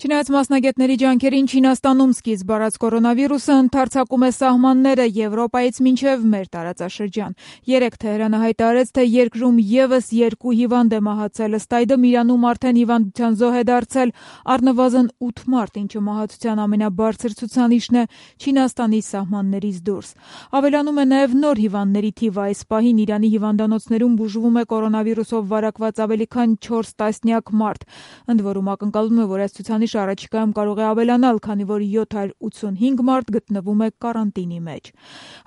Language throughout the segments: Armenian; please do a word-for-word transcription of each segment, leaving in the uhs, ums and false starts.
Չնայած մասնագետների ջանքերին, Չինաստանում սկիզբ առած կորոնավիրուսը ընդարձակում է սահմանները Եվրոպայից մինչև մեր տարածաշրջան։ Երեկ Թեհրանը հայտարարեց, թե երկրում ևս երկու հիվանդ է մահացել, ըստ այդմ Իրանում արդեն հիվանդության զոհ է դարձել առնվազն ութ մարդ, ինչը մահացության ամենաբարձր ցուցանիշն է Չինաստանի սահմաններից դուրս։ Ավելանում է նաև նոր հիվանդների թիվը։ Այս պահին Իրանի հիվանդանոցներում բուժվում է կորոնավիրուսով վարակված ավելի քան չորս տասնյակ մարդ։ Ընդ որում ակնկալվում է, որ այս ցուցանիշը առաջիկայում կարող է ավելանալ, քանի որ յոթ հարյուր ութսունհինգ մարդ գտնվում է կարանտինի մեջ։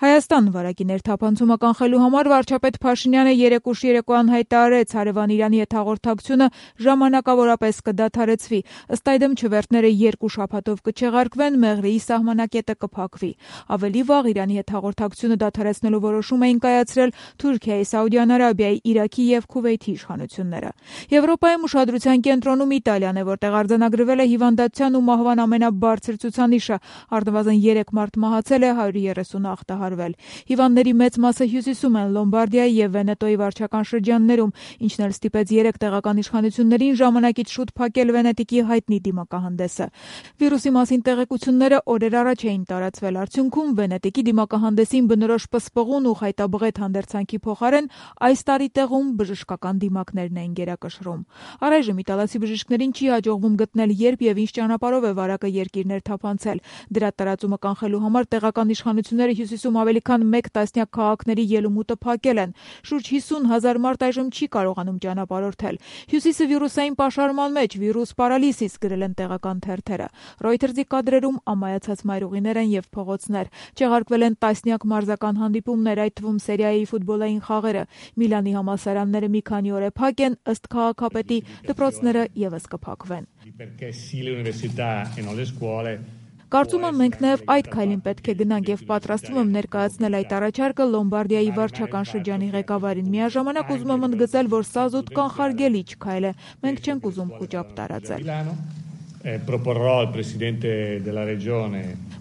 Հայաստան վարակի ներթափանցումը կանխելու համար վարչապետ Փաշինյանը երեկ ուշ երեկոյան հայտարարեց, հարևան Իրանի հետ հաղորդակցությունը ժամանակավորապես կդադարեցվի։ Ըստ այդմ չվերթները երկու շաբաթով կչեղարկվեն, Մեղրիի սահմանակետը կփակվի։ Ավելի վաղ Իրանի հետ հաղորդակցությունը դադարեցնելու որոշում էին կայացրել Թուրքիայի, Սաուդյան Արաբիայի, Իրաքի և Քուվեյթի իշխանությունները։ Եվրոպայում ուշադրության կենտրոնում Իտալիան է, որտեղ արձանագրվել է հիվանդության ու մահվան ամենաբարձր ցուցանիշը, առնվազն երեք մարդ մահացել է, հարյուր երեսունը ախտահարվել։ Հիվանդների մեծ մասը հյուսիսում են, Լոմբարդիայի և Վենետոյի վարչական շրջաններում, ինչն էլ ստիպեց երեք տեղական իշխանություններին ժամանակից շուտ փակել Վենետիկի հայտնի դիմակահանդեսը։ Վիրուսի մասին տեղեկությունները օրեր առաջ էին տարածվել, արդյունքում Վենետիկի դիմակահանդեսին բնորոշ պսպղուն ու խայտաբղետ հանդերձանքի փոխարեն այս տարի տեղում բժշկական դիմակներն էին գերակշռում։ Առայժմ իտալացի բժիշկներին չի հաջողվում գտնել, երբ և ինչ ճանապարհով է վարակը երկիրներ թափանցել։ Դրա տարածումը կանխելու համար տեղական իշխանությունները հյուսիսում ավելի քան մեկ տասնյակ քաղաքների ելումուտը փակել են։ Շուրջ հիսուն հազար մարդ այժմ չի կարողանում ճանապարհորդել։ Հյուսիսը վիրուսային պաշարման մեջ, վիրուս պարալիսիս, գրել են տեղական թերթերը։ Ռոյթերզի կադրերում ամայացած մայրուղիներ են և փողոցներ։ Չեղարկվել են տասնյակ մարզական հանդիպումներ, այդ թվում Սերիայի ֆուտբոլային խաղերը։ Միլանի համալսարանները մի քանի օր է փակ են, ըստ քաղաքապետի, դպրոցները ևս կփակվեն։ Կարծում եմ, մենք նաև այդ քայլին պետք է գնանք և պատրաստվում եմ ներկայացնել այդ առաջարկը Լոմբարդիայի վարչական շրջանի ղեկավարին։ Միաժամանակ ուզում եմ ընդգծել, որ սա զուտ կանխարգելիչ քայլ է։ Մենք չենք ուզում խուճապ տարածել։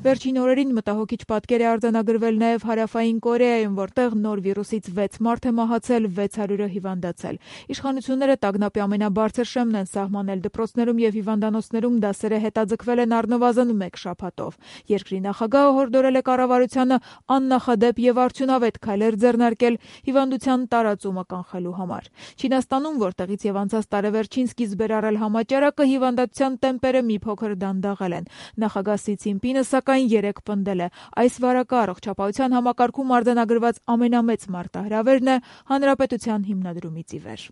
Վերջին օրերին մտահոգիչ պատկեր է արձանագրվել նաև Հարավային Կորեայում, որտեղ նոր վիրուսից վեց մարդ է մահացել, վեց հարյուրը հիվանդացել։ Իշխանությունները տագնապի ամենաբարձր շեմն են սահմանել, դպրոցներում և հիվանդանոցներում դասերը հետաձգվել են առնվազն մեկ շաբաթով։ Երկրի նախագահը հորդորել է կառավարությանը աննախադեպ և արդյունավետ քայլեր ձեռնարկել հիվանդության տարածումը կանխելու համար։ Չինաստանում, որտեղից և անցած տարեվերջին սկիզբ էր առել համաճարակը, հիվանդության տեմպերը մի փոքր դանդաղել են։ Նախագահ Սի Ցին-պինը, սակայն, երեկ պնդել է, այս վարակը առողջապահության համակարգում արձանագրված ամենամեծ մարտահրավերն է հանրապետության հիմնադրումից ի վեր։